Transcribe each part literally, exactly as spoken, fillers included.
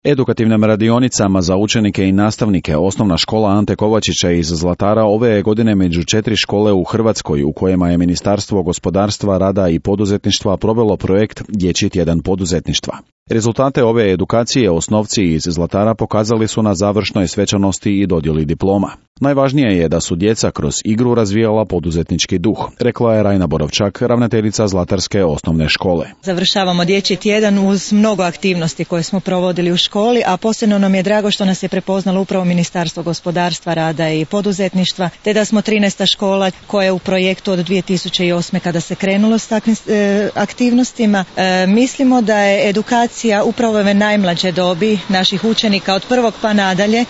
Edukativnim radionicama za učenike i nastavnike Osnovna škola Ante Kovačića iz Zlatara ove je godine među četiri škole u Hrvatskoj u kojima je Ministarstvo gospodarstva, rada i poduzetništva provelo projekt Dječji tjedan poduzetništva. Rezultate ove edukacije osnovci iz Zlatara pokazali su na završnoj svečanosti i dodjeli diploma. Najvažnije je da su djeca kroz igru razvijala poduzetnički duh, rekla je Rajna Borovčak, ravnateljica Zlatarske osnovne škole. Završavamo Dječji tjedan uz mnogo aktivnosti koje smo provodili u školi, a posebno nam je drago što nas je prepoznalo upravo Ministarstvo gospodarstva, rada i poduzetništva, te da smo trinaesta škola koja je u projektu od dvije tisuće osme kada se krenulo s takvim e, aktivnostima. E, mislimo da je edukacija upravo ove najmlađe dobi naših učenika od prvog pa nadalje e,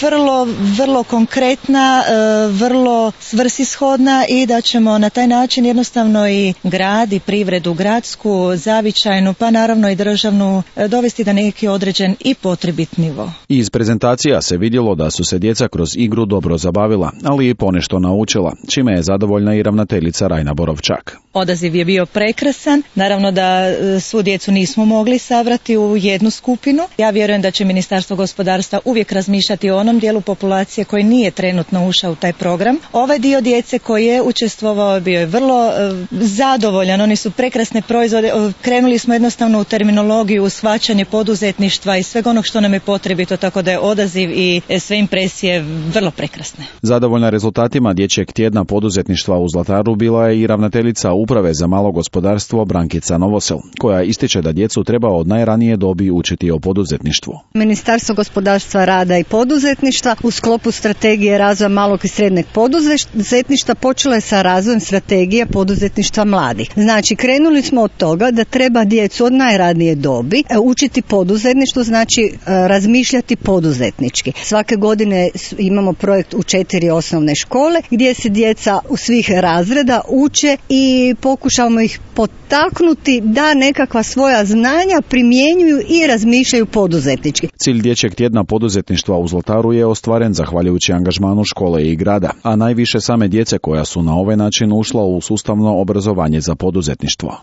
vrlo, vrlo konkretna, vrlo svrsishodna i da ćemo na taj način jednostavno i grad i privredu gradsku, zavičajnu, pa naravno i državnu dovesti da neki određen i potrebit nivo. Iz prezentacija se vidjelo da su se djeca kroz igru dobro zabavila, ali i ponešto naučila, čime je zadovoljna i ravnateljica Rajna Borovčak. Odaziv je bio prekrasan, naravno da svu djecu nismo mogli sabrati u jednu skupinu. Ja vjerujem da će Ministarstvo gospodarstva uvijek razmišljati o onom dijelu populacije koji nije trenutno ušao u taj program. Ovaj dio djece koji je učestvovao bio je vrlo uh, zadovoljan, oni su prekrasne proizvode, uh, krenuli smo jednostavno u terminologiju, u shvaćanje poduzetništva i svega onog što nam je potrebito, tako da je odaziv i sve impresije vrlo prekrasne. Zadovoljna rezultatima Dječjeg tjedna poduzetništva u Zlataru bila je i ravnateljica Uprave za malo gospodarstvo Brankica Novosel, koja ističe da djecu treba od najranije dobi učiti o poduzetništvu. Ministarstvo gospodarstva, rada i poduzetništva u sklopu strategije razvoja malog i srednjeg poduzetništva počelo je sa razvojem strategije poduzetništva mladih. Znači, krenuli smo od toga da treba djecu od najranije dobi učiti poduzetništvo, znači razmišljati poduzetnički. Svake godine imamo projekt u četiri osnovne škole gdje se djeca u svih razreda uče i pokušavamo ih potaknuti da nekakva svoja znanja primjenjuju i razmišljaju poduzetnički. Cilj Dječjeg tjedna poduzetništva u Zlataru je ostvaren zahvaljujući angažmanu škole i grada, a najviše same djece koja su na ovaj način ušla u sustavno obrazovanje za poduzetništvo.